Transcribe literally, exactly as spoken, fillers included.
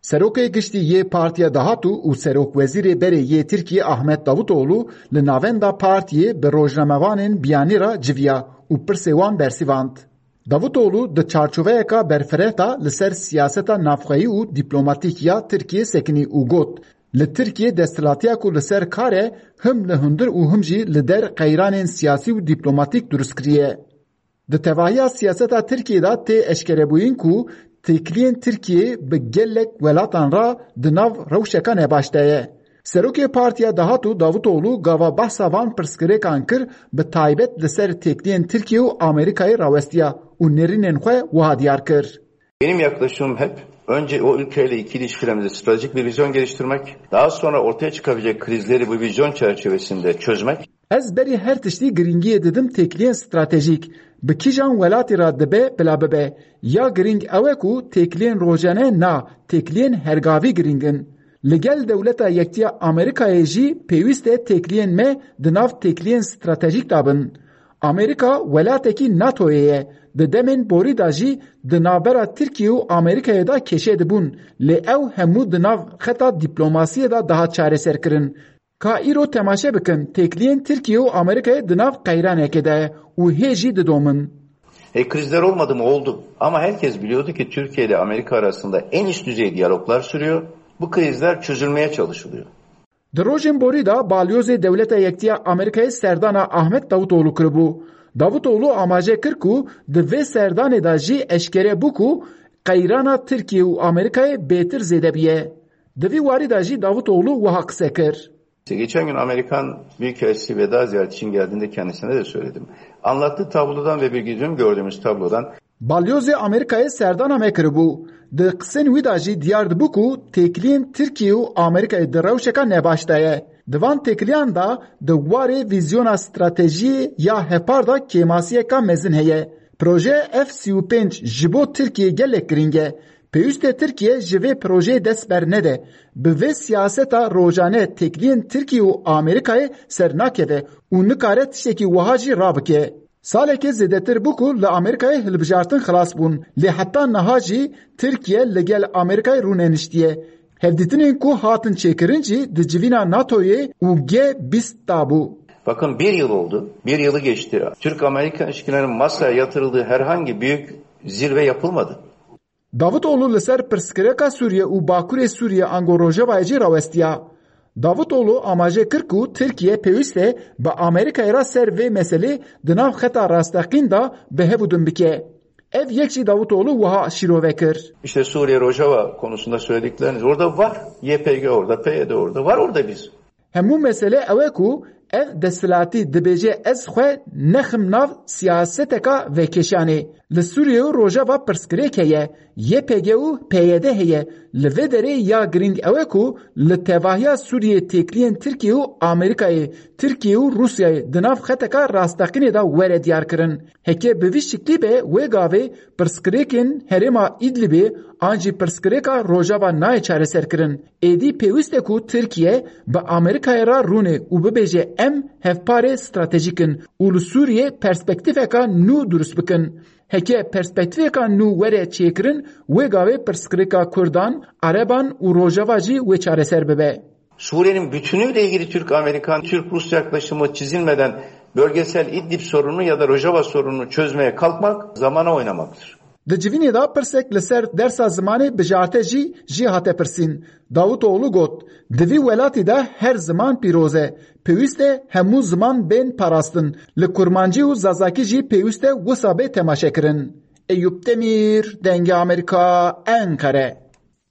Serokê Giştî yê Partiya Dahatû û Serokwezîrê berê yê Tirkiyê Ahmet Davutoglu li navenda partiyê bi rojnamevanên biyanî re civiya û pirsê wan bersivand. Davutoglu di çarçoveyeka berfireh de li ser siyaseta navxweyî û dîplomatîk ya Tirkiyê sekinî û got, Li Tirkiyê desthilatîya ku li ser kar e, him li hundir û him jî li der qeyranên siyasî û dîplomatîk durust kiriye. Di tevahiya siyaseta Tirkiyê de tê eşkerebûyîn ku têkiliyên Tirkiyê bi gelek welatan re di nav rewşeka nebaş de ye. Serokê Partiya Dahatû Davutoglu gava behsa van pirsgirêkan kir, bi taybet li ser têkiliyên Tirkiye û Amerîkayê rawestiya û nêrînên xwe wiha diyar kir. Benim yaklaşımım hep önce o ülkeyle ikili ilişkilerimizde stratejik bir vizyon geliştirmek, daha sonra ortaya çıkabilecek krizleri bu vizyon çerçevesinde çözmek. Ez berî her tiştî girîngiyê didim têkiliyên stratejîk. Bi kîjan welatî re dibe bila bibe. Ya girîng ew e ku têkiliyên rojane na, têkiliyên hergavî girîng in. Li gel Dewleta Yektiya Amerîkayê jî pêwîst e têkiliyên me di nav têkiliyên stratejîk de bin. Amerîka welatekî NATOyê ye. Di demên borî de jî di navbera Tirkiye û Amerîkayê de kêşe dibûn, lê ew hemû di nav xeta dîplomasiyê de dihat çareserkirin. Ka îro temaşe bikin, têkiliyên Tirkiye û Amerîkayê di nav qeyranekê de ye û hê jî didomin. E, krizler olmadı mı? Oldu. Ama herkes biliyordu ki Türkiye ile Amerika arasında en üst düzey diyaloglar sürüyor. Bu krizler çözülmeye çalışılıyor. Di rojên borî de Balyozê Dewleta Yektiya Amerîkayê serdana Ahmet Davutoglu kiribû. Davutoglu amaje kir ku di vê serdanê de jî eşkere bû ku qeyrana Tirkiye û Amerîkayê bêtir zêde bûye. Di vî warî de jî Davutoglu wiha qise kir. İşte geçen gün Amerikan Büyükelçisi veda ziyareti için geldiğinde kendisine de söyledim. Anlattığı tablodan ve bir gün gördüğümüz tablodan Balyozê Amerîkayê serdana me kiribû. Di qisên wî de jî diyar dibû ku têkiliyên Tirkiye û Amerîkayê di rewşeka nebaş de ye. Di van têkiliyan de di warê vîzyona stratejiyê ya hevpar de kêmasiyeka mezin heye. Proje F sî û pênc ji bo Tirkiye gelek girîng e. Pêwîst e Tirkiye ji vê projeyê dest bernede. Bi vê siyaseta rojane têkiliyên Tirkiye û Amerîkayê ser nakeve û nikare tiştekî wiha jî rabike. Salekê zêdetir bû ku li Amerîkayê hilbijartin xilas bûn, lê heta niha jî Tirkiye li gel Amerîkayê rûneniştiye. Hevdîtinên ku hatin çêkirin jî di civîna NATOyê û G bîst de bû. Bakın, bir yıl oldu. Bir yılı geçti. Türk-Amerikan ilişkilerinin masaya yatırıldığı herhangi büyük zirve yapılmadı. Davutoglu li ser pirsgirêka Sûriye û Bakurê Sûriye ango Rojavayê jî rawestiya. Davutoglu amaje kir ku Tirkiye pêwîst e bi Amerîkayê re ser vê meselê di nav xeta rasteqîn de bi hev û din bike. Ev yek jî Davutoglu wiha şîrove kir. İşte Suriye Rojava konusunda söyledikleriniz orada var. Y P G orada, P Y D orada var, orada biz. Hemû mesele ew e ku ev desthilatî dibêje ez xwe nexim nav siyaseteka vekêşanê. Li Sûriye û Rojava pirsgirêk heye, Y P G û P Y D heye. Li vê derê ya girîng ew e ku li tevahiya Sûriyê têkiliyên Tirkiye û Amerîkayê, Tirkiye û Rûsyayê di nav xeteka rasteqînê de were diyarkirin. Heke bi vî şiklî be, wê gavê pirsgirêkên herêma Îdlibê an jî pirsgirêka Rojava nayê çareserkirin. Êdî pêwîst e ku Tirkiye bi Amerîkayê re rûnê û bibêje, em hevparê stratejîk in û li Sûriyê perspektîfeka nû durust bikin. Heke perspektîfeka nû were çêkirin, wê gavê pirsgirêka Kurdan, Ereban û Rojava jî wê çareser bibe. Suriye'nin bütünüyle ilgili Türk-Amerikan, Türk-Rus yaklaşımı çizilmeden bölgesel İdlib sorununu ya da Rojava sorununu çözmeye kalkmak zamana oynamaktır. Di civînê de pirsek li ser dersa zimanê bijarte jî jî hate pirsîn. Davutoglu got, Di vî welatî de her ziman pîroz e. Pêwîst e hemû ziman bên parastin. Li kurmancî û zazakî jî pêwîst e wisa bê temaşekirin. Eyûp Demîr, Dengê Amerîka, Enqere.